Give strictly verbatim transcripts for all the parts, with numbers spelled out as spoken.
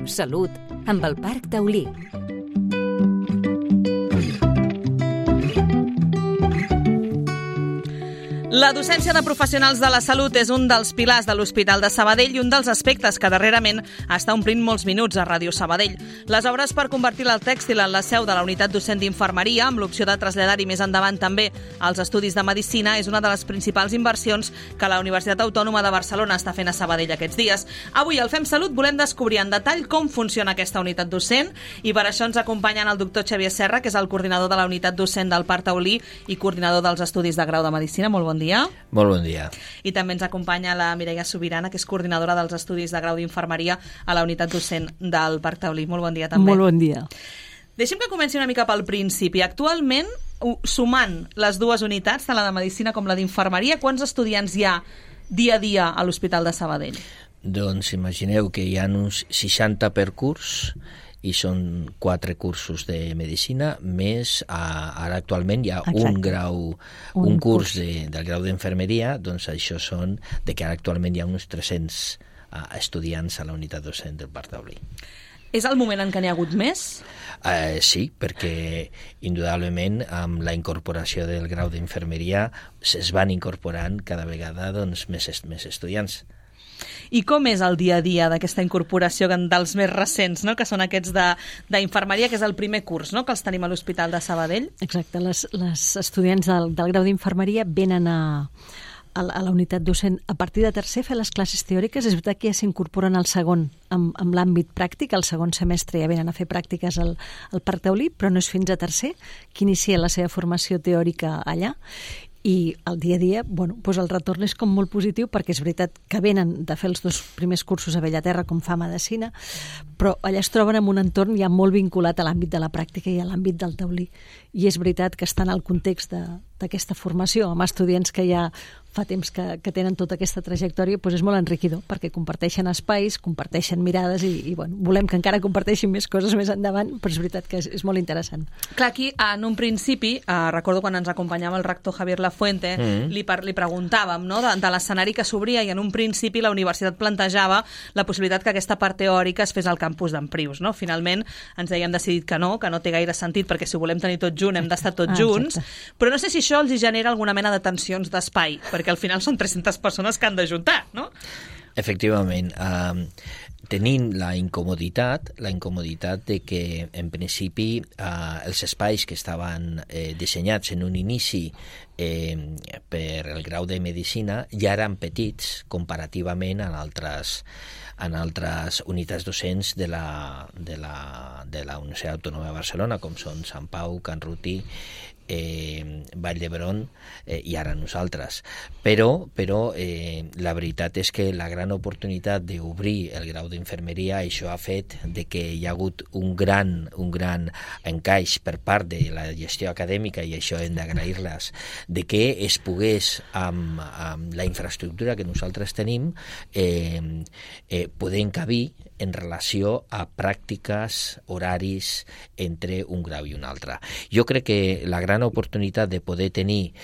Salut, amb el Parc Taulí. La docència de professionals de la salut és un dels pilars de l'Hospital de Sabadell i un dels aspectes que darrerament està omplint molts minuts a Ràdio Sabadell. Les obres per convertir el tèxtil en la seu de la unitat docent d'infermeria, amb l'opció de traslladar-hi més endavant també als estudis de medicina, és una de les principals inversions que la Universitat Autònoma de Barcelona està fent a Sabadell aquests dies. Avui al Fem Salut volem descobrir en detall com funciona aquesta unitat docent i per això ens acompanyen el doctor Xavier Serra, que és el coordinador de la unitat docent del Parc Taulí i coordinador dels estudis de grau de medicina. Molt bon dia. Molt bon dia. I també ens acompanya la Mireia Sobirana, que és coordinadora dels estudis de grau d'infermeria a la unitat docent del Parc Taulí. Molt bon dia també. Molt bon dia. Deixem que comenci una mica pel principi. Actualment, sumant les dues unitats, tant la de medicina com la d'infermeria, quants estudiants hi ha dia a dia a l'Hospital de Sabadell? Doncs imagineu que hi ha uns seixanta per curs i són quatre cursos de medicina, més a, ara actualment hi ha Exacte. un grau, un, un curs, curs. De, del grau d'infermeria, doncs això són de que ara actualment hi ha uns tres-cents uh, estudiants a la unitat docent del Parc Taulí. És el moment en què n'hi ha hagut més? Uh, sí, perquè indudablement amb la incorporació del grau d'infermeria es van incorporant cada vegada doncs, més, més estudiants. I com és el dia a dia d'aquesta incorporació dels més recents, no? Que són aquests d'infermeria, que és el primer curs, no? Que els tenim a l'Hospital de Sabadell? Exacte, les, les estudiants del, del grau d'infermeria venen a, a, a la unitat docent a partir de tercer a fer les classes teòriques. És veritat que ja s'incorporen al segon amb, amb l'àmbit pràctic, al segon semestre ja venen a fer pràctiques al, al Parc Taulí, però no és fins a tercer que inicia la seva formació teòrica allà. I el dia a dia, bueno, doncs el retorn és com molt positiu, perquè és veritat que venen de fer els dos primers cursos a Bellaterra, com fa medicina, però allà es troben en un entorn ja molt vinculat a l'àmbit de la pràctica i a l'àmbit del taulí. I és veritat que estan al context d'aquesta formació, amb estudiants que ja fa temps que, que tenen tota aquesta trajectòria, doncs és molt enriquidor, perquè comparteixen espais, comparteixen mirades i, i bueno, volem que encara comparteixin més coses més endavant, però és veritat que és, és molt interessant. Clar, aquí, en un principi, eh, recordo quan ens acompanyava el rector Javier Lafuente, mm. li, li preguntàvem, no?, de, de l'escenari que s'obria, i en un principi la universitat plantejava la possibilitat que aquesta part teòrica es fes al campus d'Emprius, no? Finalment ens deien decidit que no, que no té gaire sentit, perquè si ho volem tenir tot junt hem d'estar tots ah, junts, però no sé si això els genera alguna mena de tensions d'espai, perquè al final són tres-centes persones que han d'ajuntar, no? Efectivament. Uh, tenim la incomoditat, la incomoditat de que, en principi, uh, els espais que estaven eh, dissenyats en un inici eh, per el grau de medicina ja eren petits comparativament a altres en altres unitats docents de la, de la, de la Universitat Autònoma de Barcelona, com són Sant Pau, Can Ruti, eh, Vall d'Hebron eh, i ara nosaltres. Però, però eh, la veritat és que la gran oportunitat d'obrir el grau d'infermeria, això ha fet de que hi ha hagut un gran, un gran encaix per part de la gestió acadèmica, i això hem d'agrair-les, de que es pogués, amb, amb la infraestructura que nosaltres tenim, eh, eh, poder encabir en relació a pràctiques, horaris entre un grau i un altre. Jo crec que la gran oportunitat de poder tenir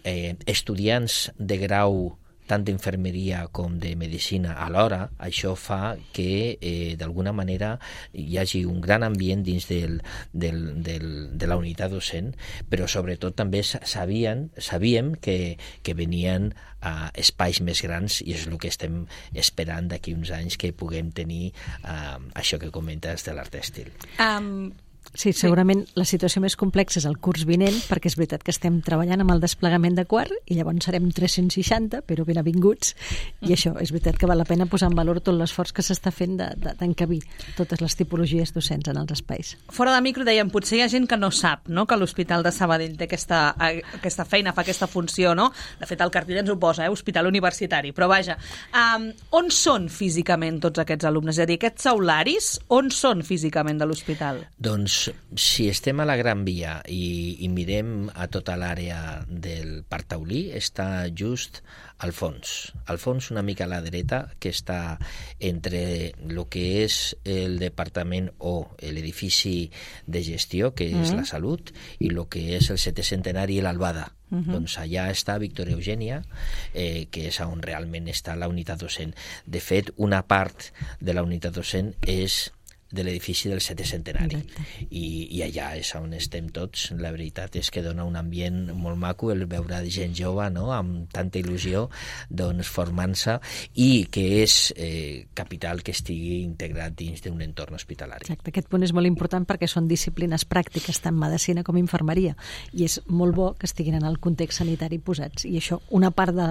eh, estudiants de grau tant d'infermeria com de medicina alhora, això fa que eh, d'alguna manera hi hagi un gran ambient dins del, del, del, de la unitat docent, però sobretot també sabien, sabíem que, que venien a espais més grans, i és el que estem esperant d'aquí uns anys, que puguem tenir uh, això que comentes de l'art tèxtil. Um... Sí, segurament sí. La situació més complexa és el curs vinent, perquè és veritat que estem treballant amb el desplegament de quart i llavors serem tres-cents seixanta, però ben avinguts, i això, és veritat que val la pena posar en valor tot l'esforç que s'està fent d'encabir totes les tipologies docents en els espais. Fora de micro dèiem, potser hi ha gent que no sap, no?, que l'Hospital de Sabadell té aquesta, aquesta feina, fa aquesta funció, no? De fet, el cartell ens ho posa, eh? Hospital Universitari, però vaja, um, on són físicament tots aquests alumnes? És a dir, aquests aularis, on són físicament de l'hospital? Doncs si estem a la Gran Via i, i mirem a tota l'àrea del Parc Taulí, està just al fons. Al fons, una mica a la dreta, que està entre el que és el departament o l'edifici de gestió, que és mm. la Salut, i el que és el setè centenari i l'Albada. Uh-huh. Doncs allà està Victoria Eugènia, eh, que és on realment està la unitat docent. De fet, una part de la unitat docent és de l'edifici del setè centenari. I, i allà és on estem tots. La veritat és que dona un ambient molt maco el veure gent jove, no?, amb tanta il·lusió, doncs, formant-se, i que és eh, capital que estigui integrat dins d'un entorn hospitalari. Exacte, aquest punt és molt important perquè són disciplines pràctiques tant medicina com infermeria, i és molt bo que estiguin en el context sanitari posats, i això, una part de,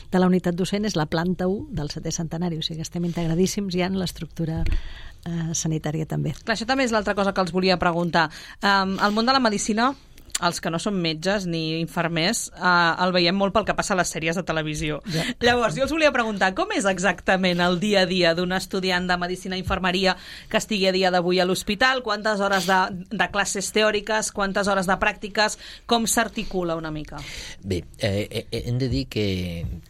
de la unitat docent és la planta u del setè centenari, o sigui que estem integradíssims ja en l'estructura eh, sanitària també. Clar, això també és l'altra cosa que els volia preguntar. Um, el món de la medicina, els que no són metges ni infermers, eh, el veiem molt pel que passa a les sèries de televisió. Ja. Llavors, jo els volia preguntar, com és exactament el dia a dia d'un estudiant de medicina i infermeria que estigui a dia d'avui a l'hospital? Quantes hores de, de classes teòriques, quantes hores de pràctiques, com s'articula una mica? Bé, eh, hem de dir que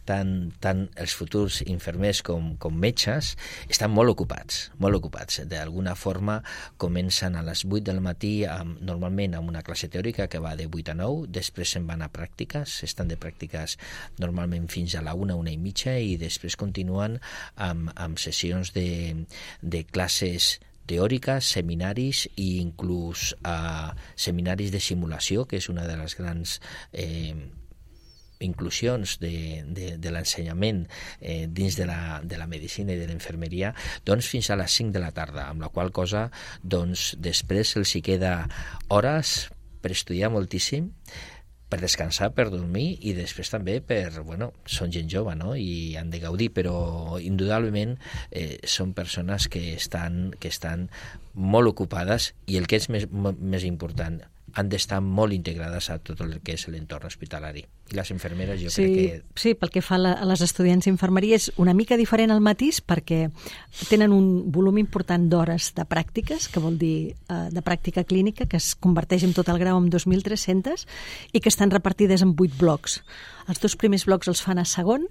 tant, tant els futurs infermers com, com metges estan molt ocupats, molt ocupats. D'alguna forma comencen a les vuit del matí, amb, normalment amb una classe teòrica que va de vuit a nou, després se'n van a pràctiques, estan de pràctiques normalment fins a la una, una i mitja, i després continuen amb, amb sessions de, de classes teòriques, seminaris i inclús uh, seminaris de simulació, que és una de les grans eh, inclusions de, de, de l'ensenyament eh, dins de la, de la medicina i de la infermeria, doncs fins a les cinc de la tarda, amb la qual cosa doncs, després els hi queda hores per estudiar moltíssim, per descansar, per dormir, i després també per, bueno, són gent jove, no?, i han de gaudir, però indudablement eh, són persones que estan, que estan molt ocupades, i el que és més, més important, han d'estar molt integrades a tot el que és l'entorn hospitalari. I les infermeres jo sí, crec que... Sí, pel que fa a, la, a les estudiants d'infermeria és una mica diferent al matís perquè tenen un volum important d'hores de pràctiques, que vol dir eh, de pràctica clínica, que es converteix en tot el grau en dos mil tres-cents i que estan repartides en vuit blocs. Els dos primers blocs els fan a segon,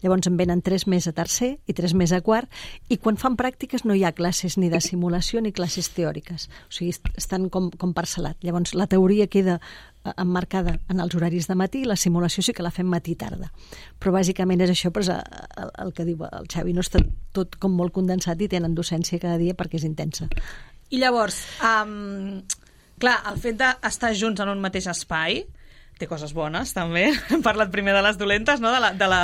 llavors en venen tres més a tercer i tres més a quart, i quan fan pràctiques no hi ha classes ni de simulació ni classes teòriques, o sigui, estan com, com parcel·lat. Llavors la teoria queda emmarcada en els horaris de matí, la simulació sí que la fem matí-tarda. Però bàsicament és això, però és el, el que diu el Xavi, no està tot com molt condensat i tenen docència cada dia perquè és intensa. I llavors, um, clar, el fet d'estar junts en un mateix espai té coses bones, també. Hem parlat primer de les dolentes, no?, de la, de la,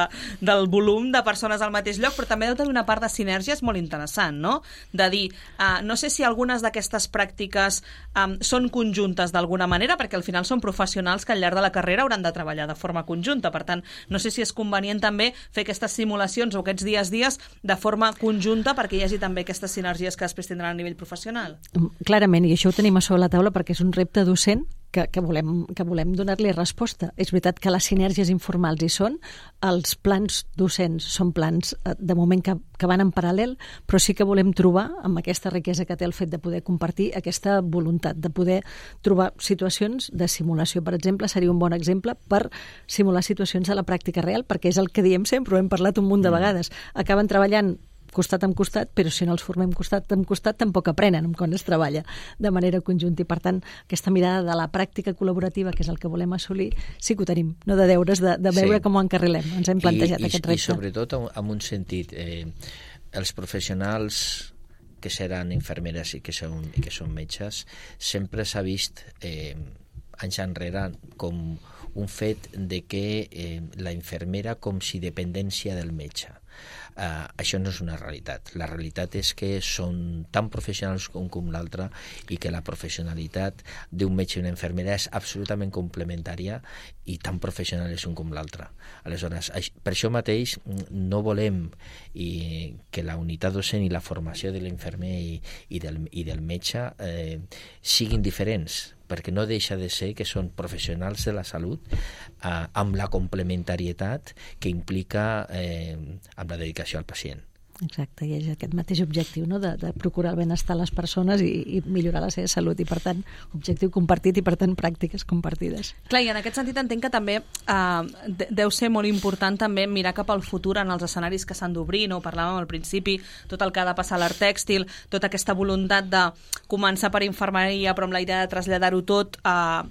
del volum de persones al mateix lloc, però també deu tenir una part de sinergies molt interessant, no?, de dir, uh, no sé si algunes d'aquestes pràctiques um, són conjuntes d'alguna manera, perquè al final són professionals que al llarg de la carrera hauran de treballar de forma conjunta, per tant, no sé si és convenient també fer aquestes simulacions o aquests dies dies de forma conjunta perquè hi hagi també aquestes sinergies que després tindran a nivell professional. Clarament, i això ho tenim a sobre la taula perquè és un repte docent que, que volem, que volem donar-li resposta. És veritat que les sinergies informals hi són, els plans docents són plans de moment que, que van en paral·lel, però sí que volem trobar, amb aquesta riquesa que té el fet de poder compartir, aquesta voluntat de poder trobar situacions de simulació. Per exemple, seria un bon exemple per simular situacions de la pràctica real, perquè és el que diem sempre, ho hem parlat un munt de vegades. Acaben treballant costat amb costat, però si no els formem costat amb costat tampoc aprenen quan es treballa de manera conjunta, i per tant aquesta mirada de la pràctica col·laborativa, que és el que volem assolir, sí que ho tenim, no de deures, de, de veure sí. com ho encarrilem. Ens hem plantejat I, aquest i, repte. I sobretot en un sentit, eh, els professionals que seran infermeres i que són, i que són metges, sempre s'ha vist eh, anys enrere com un fet de que eh, la infermera com si dependència del metge. Uh, això no és una realitat. La realitat és que són tan professionals com, com l'altre, i que la professionalitat d'un metge i una infermera és absolutament complementària, i tan professional és un com l'altre. Aleshores, per això mateix no volem i, que la unitat docent i la formació de l'infermer i, i, del, i del metge eh, siguin diferents, perquè no deixa de ser que són professionals de la salut eh, amb la complementarietat que implica eh, amb la dedicació al pacient. Exacte, i és aquest mateix objectiu, no?, de, de procurar el benestar a les persones i, i millorar la seva salut, i per tant objectiu compartit i per tant pràctiques compartides. Clar, i en aquest sentit entenc que també eh, deu ser molt important també mirar cap al futur en els escenaris que s'han d'obrir, no? Ho parlàvem al principi, tot el que ha de passar a l'art tèxtil, tota aquesta voluntat de començar per infermeria però amb la idea de traslladar-ho tot a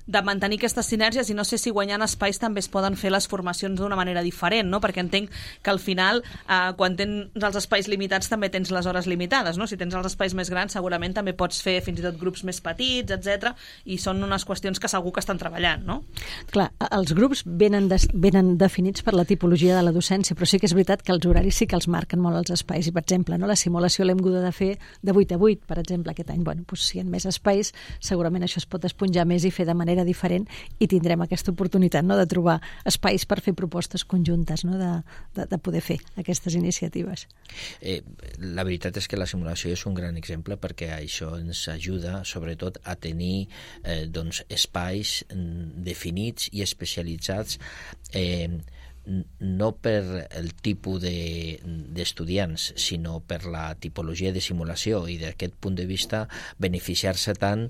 de mantenir aquestes sinergies, i no sé si guanyant espais també es poden fer les formacions d'una manera diferent, no? Perquè entenc que al final, eh, quan tens els espais limitats també tens les hores limitades, no? Si tens els espais més grans segurament també pots fer fins i tot grups més petits, etcètera, i són unes qüestions que segur que estan treballant, no? Clar, els grups venen, de, venen definits per la tipologia de la docència, però sí que és veritat que els horaris sí que els marquen molt els espais, i per exemple, no, la simulació l'hem hagut de fer de vuit a vuit, per exemple, aquest any. Bueno, doncs, si hi ha més espais, segurament això es pot esponjar més i fer de manera diferent, i tindrem aquesta oportunitat, no, de trobar espais per fer propostes conjuntes, no, de, de, de poder fer aquestes iniciatives. Eh, la veritat és que la simulació és un gran exemple, perquè això ens ajuda sobretot a tenir eh, doncs, espais definits i especialitzats, eh, no per el tipus d'estudiants, de, sinó per la tipologia de simulació, i d'aquest punt de vista beneficiar-se tant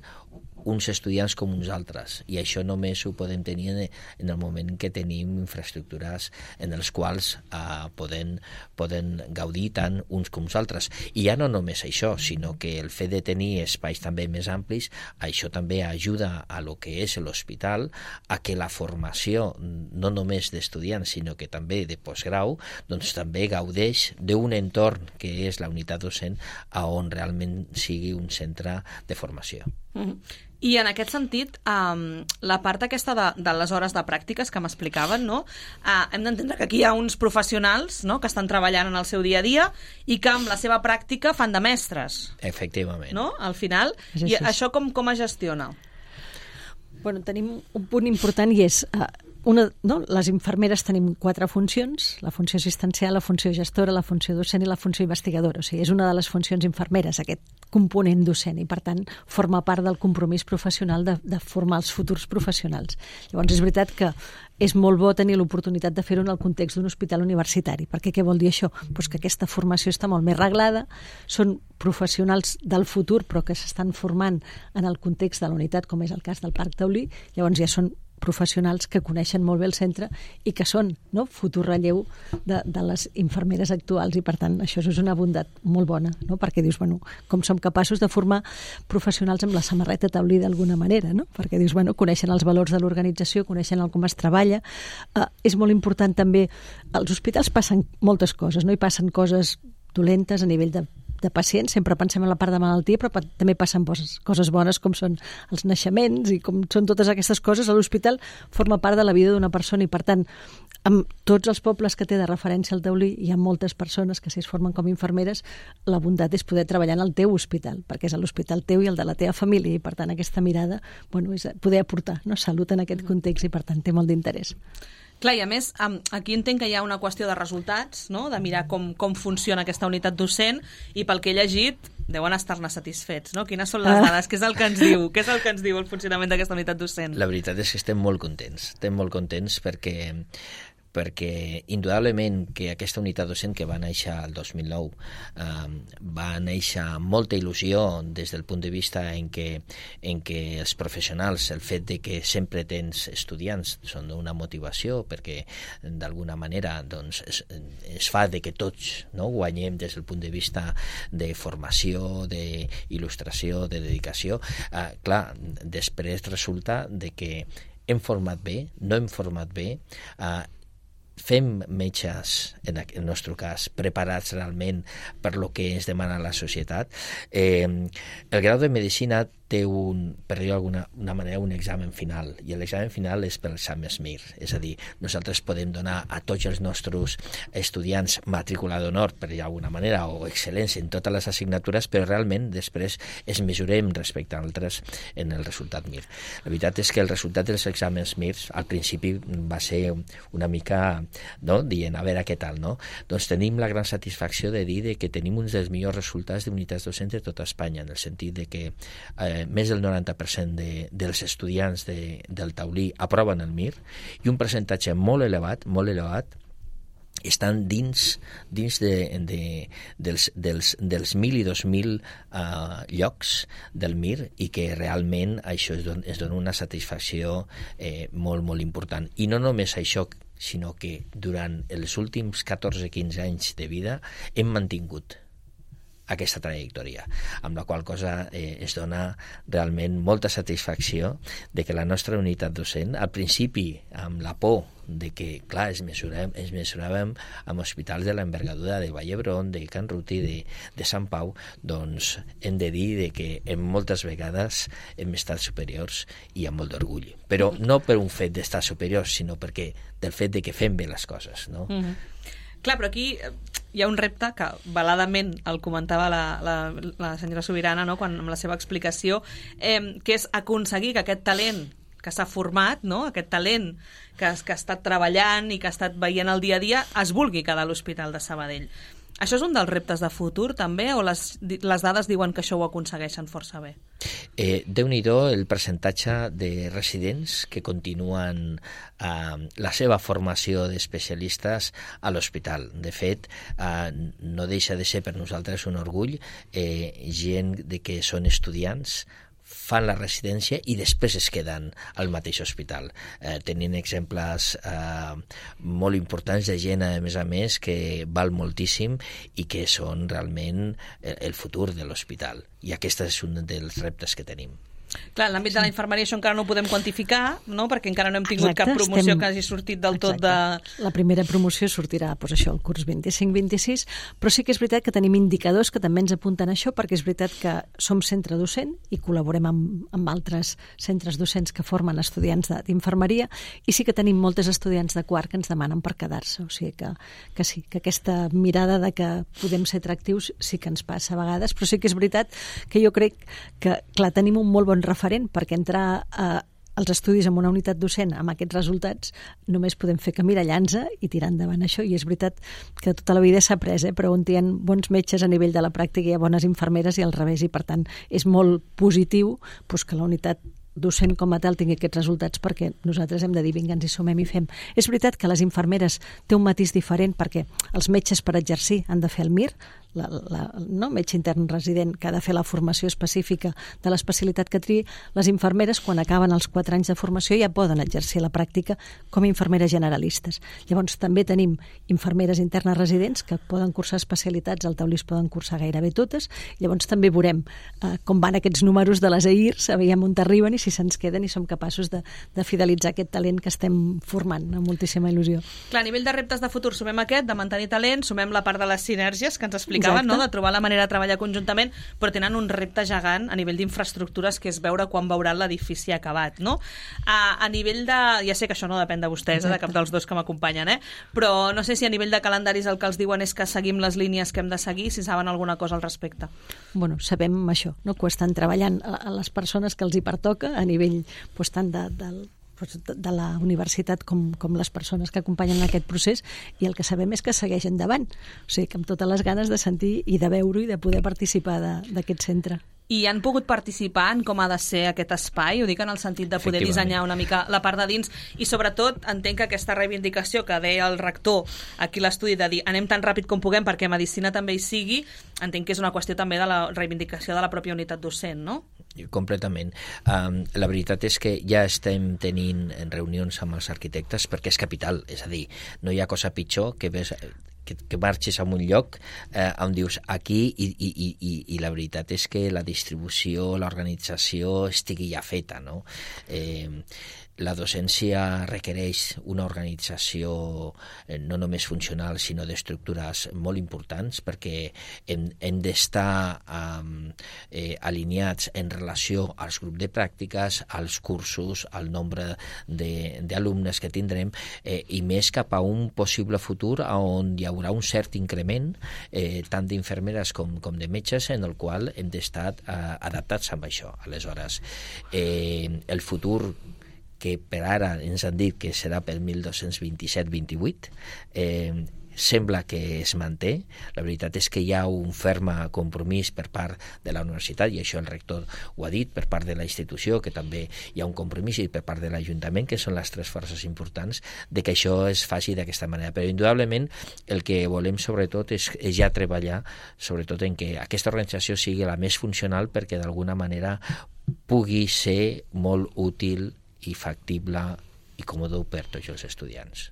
uns estudiants com uns altres, i això només ho podem tenir en el moment en què tenim infraestructures en els quals eh, poden, poden gaudir tant uns com uns altres. I ja no només això, sinó que el fet de tenir espais també més amplis, això també ajuda a lo que és l'hospital a que la formació, no només d'estudiants, sinó que també de postgrau, doncs també gaudeix d'un entorn que és la unitat docent, a on realment sigui un centre de formació. Mm-hmm. I en aquest sentit, um, la part aquesta de, de les hores de pràctiques que m'explicaven, no? Uh, hem d'entendre que aquí hi ha uns professionals, no?, que estan treballant en el seu dia a dia i que amb la seva pràctica fan de mestres. Efectivament. No?, al final. I això com, com es gestiona? Bueno, tenim un punt important, i és... Uh, Una, no? Les infermeres tenim quatre funcions: la funció assistencial, la funció gestora, la funció docent i la funció investigadora. O sigui, és una de les funcions infermeres, aquest component docent, i per tant forma part del compromís professional de, de formar els futurs professionals. Llavors és veritat que és molt bo tenir l'oportunitat de fer-ho en el context d'un hospital universitari, perquè què vol dir això? Pues que aquesta formació està molt més reglada, són professionals del futur però que s'estan formant en el context de la unitat, com és el cas del Parc Taulí. Llavors ja són professionals que coneixen molt bé el centre i que són, no?, futur relleu de, de les infermeres actuals, i per tant això és una bondat molt bona, no?, perquè dius, bueno, com som capaços de formar professionals amb la samarreta Taulí d'alguna manera, no?, perquè dius, bueno, coneixen els valors de l'organització, coneixen el com es treballa. Eh, és molt important també, als hospitals passen moltes coses, no?, i passen coses dolentes a nivell de de pacients, sempre pensem en la part de malaltia, però també passen coses, coses bones, com són els naixements i com són totes aquestes coses. A l'hospital forma part de la vida d'una persona, i per tant, amb tots els pobles que té de referència al Taulí, hi ha moltes persones que si es formen com infermeres, la bondat és poder treballar en el teu hospital, perquè és l'hospital teu i el de la teva família, i per tant aquesta mirada, bueno, és poder aportar, no?, salut en aquest context, i per tant té molt d'interès. Clar, i a més, aquí entenc que hi ha una qüestió de resultats, no?, de mirar com, com funciona aquesta unitat docent, i pel que he llegit deuen estar-ne satisfets, no? Quines són les dades? Ah. Què és el que ens diu? Què és el que ens diu el funcionament d'aquesta unitat docent? La veritat és que estem molt contents. Estem molt contents perquè perquè indudablement que aquesta unitat docent, que va néixer el dos mil nou, eh, va néixer amb molta il·lusió des del punt de vista en què, en què els professionals, el fet de que sempre tens estudiants, són d'una motivació, perquè d'alguna manera doncs, es, es fa de que tots, no, guanyem des del punt de vista de formació, d'il·lustració, de dedicació. Eh, clar, després resulta de que hem format bé, no hem format bé, eh, fem metges, en el nostre cas, preparats realment per lo que ens demana la societat. Eh, el grau de medicina té un, per dir-ho d'alguna una manera, un examen final, i l'examen final és per l'examen S M I R, és a dir, nosaltres podem donar a tots els nostres estudiants matrícula d'honor, per dir-ho d'alguna manera, o excel·lència en totes les assignatures, però realment després es mesurem respecte a altres en el resultat M I R. La veritat és que el resultat dels exàmens M I R al principi va ser una mica, no?, dient, a veure què tal, no? Doncs tenim la gran satisfacció de dir de que tenim uns dels millors resultats d'unitats docents de tota Espanya, en el sentit de que eh, més del noranta per cent de, dels estudiants de, del Taulí aproven el M I R, i un percentatge molt elevat, molt elevat, estan dins, dins de, de, dels, dels, dels mil i dos mil uh, llocs del M I R, i que realment això es dona, es dona una satisfacció eh, molt, molt important. I no només això, sinó que durant els últims catorze quinze anys de vida hem mantingut aquesta trajectòria, amb la qual cosa eh, es dona realment molta satisfacció de que la nostra unitat docent, al principi amb la por de que, clar, es mesurem, es mesuràvem amb hospitals de l'envergadura de Vall d'Hebron, de Can Ruti, de, de Sant Pau, doncs hem de dir de que en moltes vegades hem estat superiors i amb molt d'orgull. Però no per un fet d'estar superiors, sinó perquè del fet de que fem bé les coses, no? Mm-hmm. Clar, però aquí hi ha un repte que veladament el comentava la, la, la senyora Subirana, no?, quan, amb la seva explicació, eh, que és aconseguir que aquest talent que s'ha format, no?, aquest talent que, que ha estat treballant i que ha estat veient el dia a dia, es vulgui quedar a l'Hospital de Sabadell. Això és un dels reptes de futur, també, o les, les dades diuen que això ho aconsegueixen força bé? Eh, Déu-n'hi-do el percentatge de residents que continuen eh, la seva formació d'especialistes a l'hospital. De fet, eh, no deixa de ser per nosaltres un orgull eh, gent de que són estudiants, fan la residència i després es queden al mateix hospital. Eh, tenint exemples eh, molt importants de gent, a més a més, que val moltíssim i que són realment el futur de l'hospital. I aquest és un dels reptes que tenim. Clar, en l'àmbit de la infermeria això encara no ho podem quantificar, no?, perquè encara no hem tingut Exacte, cap promoció estem... que hagi sortit del Exacte. tot de... La primera promoció sortirà, doncs això, el curs vint-i-cinc vint-i-sis, però sí que és veritat que tenim indicadors que també ens apunten a això, perquè és veritat que som centre docent i col·laborem amb, amb altres centres docents que formen estudiants d'infermeria, i sí que tenim moltes estudiants de quart que ens demanen per quedar-se, o sigui que, que sí, que aquesta mirada de que podem ser atractius sí que ens passa a vegades, però sí que és veritat que jo crec que, clar, tenim un molt bon referent, perquè entrar a, als estudis en una unitat docent amb aquests resultats només podem fer que mirallar-nos i tirar endavant això, i és veritat que tota la vida s'ha après, eh? Però on hi ha bons metges a nivell de la pràctica hi ha bones infermeres i al revés, i per tant és molt positiu doncs, que la unitat docent com a tal tingui aquests resultats, perquè nosaltres hem de dir vinga, ens hi sumem i fem. És veritat que les infermeres té un matís diferent perquè els metges per exercir han de fer el M I R, la, la, no? metge intern resident, que ha de fer la formació específica de l'especialitat que triï. Les infermeres, quan acaben els quatre anys de formació, ja poden exercir la pràctica com a infermeres generalistes. Llavors també tenim infermeres internes residents que poden cursar especialitats, al Taulí es poden cursar gairebé totes. Llavors també veurem eh, com van aquests números de les E I R S, veiem on arriben i si se'ns queden i som capaços de, de fidelitzar aquest talent que estem formant amb moltíssima il·lusió. Clar, a nivell de reptes de futur sumem aquest, de mantenir talent, sumem la part de les sinergies que ens explicaven, no? De trobar la manera de treballar conjuntament, però tenen un repte gegant a nivell d'infraestructures, que és veure quan veuran l'edifici acabat, no? A, a nivell de... Ja sé que això no depèn de vostès, eh, de cap dels dos que m'acompanyen, eh? Però no sé si a nivell de calendaris el que els diuen és que seguim les línies que hem de seguir, si saben alguna cosa al respecte. Bueno, sabem això, no? Que estan treballant a, a les persones que els hi pertoca a nivell pues, tant de, de, de la universitat com, com les persones que acompanyen aquest procés, i el que sabem és que segueix endavant, o sigui que amb totes les ganes de sentir i de veure-ho i de poder participar d'aquest centre. I han pogut participar en com ha de ser aquest espai, ho dic en el sentit de poder dissenyar una mica la part de dins, i sobretot entenc que aquesta reivindicació que deia el rector aquí a l'estudi de dir anem tan ràpid com puguem perquè medicina també hi sigui, entenc que és una qüestió també de la reivindicació de la pròpia unitat docent, no? Completament. Um, la veritat és que ja estem tenint reunions amb els arquitectes perquè és capital, és a dir, no hi ha cosa pitjor que ves que, que marxis a un lloc eh, on dius aquí i, i, i, i la veritat és que la distribució, l'organització estigui ja feta, no? Eh, la docència requereix una organització eh, no només funcional sinó d'estructures molt importants, perquè hem, hem d'estar um, eh, alineats en relació als grups de pràctiques, als cursos, al nombre d'alumnes que tindrem, eh, i més cap a un possible futur on hi haurà un cert increment eh, tant d'infermeres com, com de metges, en el qual hem d'estar eh, adaptats amb això. Aleshores, eh, el futur que per ara ens han dit que serà per mil dos-cents vint-i-set vint-i-vuit, eh, sembla que es manté. La veritat és que hi ha un ferm compromís per part de la universitat, i això el rector ho ha dit, per part de la institució, que també hi ha un compromís, i per part de l'Ajuntament, que són les tres forces importants, de que això es faci d'aquesta manera. Però indudablement el que volem sobretot és, és ja treballar sobretot en que aquesta organització sigui la més funcional, perquè d'alguna manera pugui ser molt útil i factible i còmode per tots els estudiants.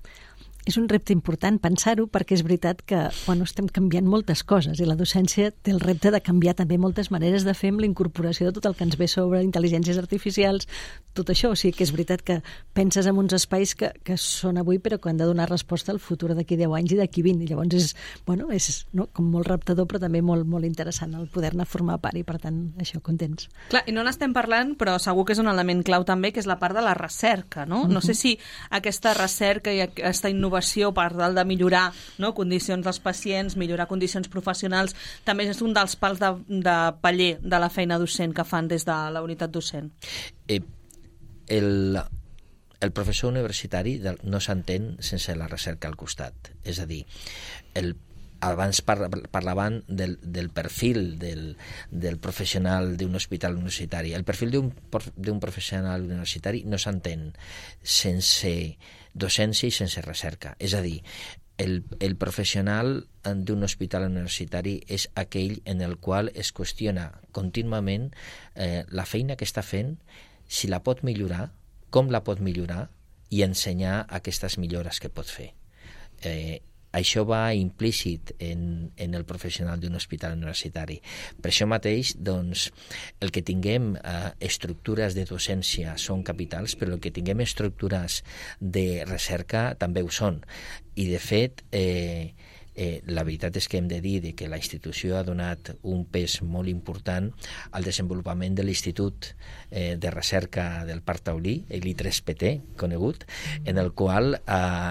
és un repte important pensar-ho, perquè és veritat que bueno, estem canviant moltes coses i la docència té el repte de canviar també moltes maneres de fer amb la incorporació de tot el que ens ve sobre intel·ligències artificials, tot això. O sigui que és veritat que penses en uns espais que, que són avui però que han de donar resposta al futur d'aquí deu anys i d'aquí vint. I llavors és, bueno, és no, com molt reptador però també molt, molt interessant el poder-ne formar part i per tant això, contents. Clar, i no n'estem parlant, però segur que és un element clau també, que és la part de la recerca, no? No sé si aquesta recerca i aquesta innovació per tal de millorar, no, condicions dels pacients, millorar condicions professionals, també és un dels pals de, de paller de la feina docent que fan des de la unitat docent. Eh, el, el professor universitari no s'entén sense la recerca al costat. És a dir, el abans parlaven del, del perfil del, del professional d'un hospital universitari. El perfil d'un professional universitari no s'entén sense docència i sense recerca. És a dir, el, el professional d'un hospital universitari és aquell en el qual es qüestiona contínuament eh, la feina que està fent, si la pot millorar, com la pot millorar i ensenyar aquestes millores que pot fer. Eh, Això va implícit en, en el professional d'un hospital universitari. Per això mateix, doncs, el que tinguem eh, estructures de docència són capitals, però el que tinguem estructures de recerca també ho són. I, de fet, eh, eh, la veritat és que hem de dir que la institució ha donat un pes molt important al desenvolupament de l'Institut eh, de Recerca del Parc Taulí, l'I tres P T, conegut, en el qual eh,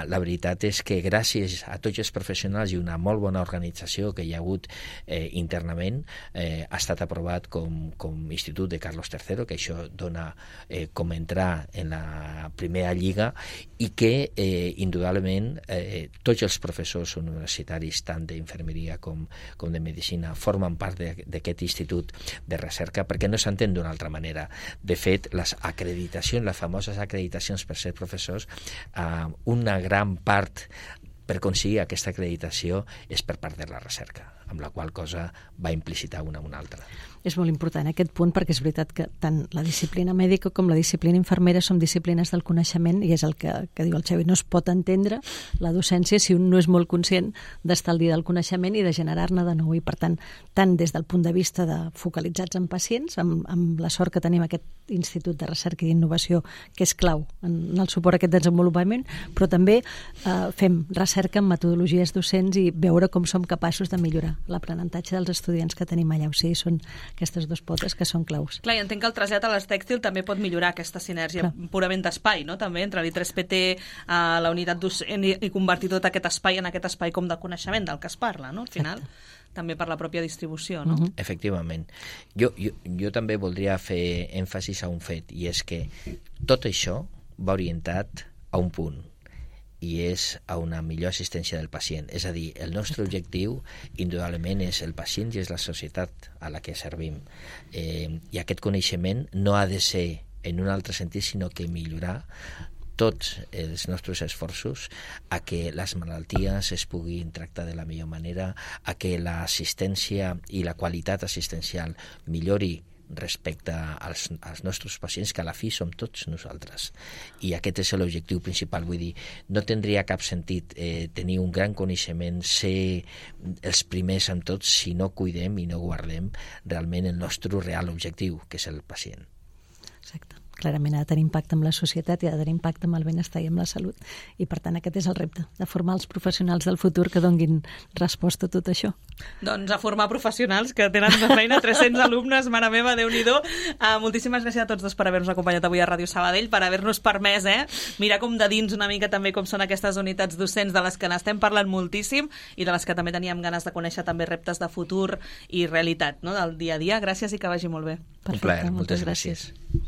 la veritat és que gràcies a tots els professionals i una molt bona organització que hi ha hagut eh, internament, eh, ha estat aprovat com, com Institut de Carlos tercero, que això dona eh, com entrar en la primera lliga i que, eh, indudablement, eh, tots els professors universitaris tant d'infermeria com, com de medicina formen part d'aquest institut de recerca perquè no s'entén d'una altra manera. De fet, les acreditacions, les famoses acreditacions per ser professors, eh, una gran part per aconseguir aquesta acreditació és per part de la recerca, amb la qual cosa va implicitar una a una altra. És molt important aquest punt perquè és veritat que tant la disciplina mèdica com la disciplina infermera són disciplines del coneixement i és el que, que diu el Xavi, no es pot entendre la docència si un no és molt conscient d'estar al dia del coneixement i de generar-ne de nou. I per tant, tant des del punt de vista de focalitzats en pacients, amb, amb la sort que tenim aquest Institut de Recerca i Innovació que és clau en el suport a aquest desenvolupament, però també eh, fem recerca en metodologies docents i veure com som capaços de millorar l'aprenentatge dels estudiants que tenim allà. O sigui, són aquestes dues potes que són claus. Clar, i entenc que el trasllat a les tèxtil també pot millorar aquesta sinergia Clar. purament d'espai, no? També entre l'I tres P T, a la unitat docent i, i convertir tot aquest espai en aquest espai com de coneixement del que es parla, no? Al final, Exacte. també per la pròpia distribució, no? Uh-huh. Efectivament. Jo, jo, jo també voldria fer èmfasis a un fet, i és que tot això va orientat a un punt, i és a una millor assistència del pacient. És a dir, el nostre objectiu, indudablement, és el pacient i és la societat a la que servim. Eh, I aquest coneixement no ha de ser en un altre sentit, sinó que millorar tots els nostres esforços a que les malalties es puguin tractar de la millor manera, a que l'assistència i la qualitat assistencial millori respecte als, als nostres pacients, que a la fi som tots nosaltres. I aquest és l'objectiu principal. Vull dir, no tindria cap sentit eh, tenir un gran coneixement, ser els primers en tots, si no cuidem i no guardem realment el nostre real objectiu, que és el pacient. Exacte. Clarament ha de tenir impacte amb la societat i ha de tenir impacte amb el benestar i amb la salut. I, per tant, aquest és el repte, de formar els professionals del futur que donguin resposta a tot això. Doncs a formar professionals que tenen de feina tres-cents alumnes, mare meva, Déu-n'hi-do. Uh, moltíssimes gràcies a tots dos per haver-nos acompanyat avui a Ràdio Sabadell, per haver-nos permès eh, mirar com de dins una mica també com són aquestes unitats docents de les que n'estem parlant moltíssim i de les que també teníem ganes de conèixer també reptes de futur i realitat, no?, del dia a dia. Gràcies i que vagi molt bé. Perfecte, un plaer, moltes, moltes gràcies. gràcies.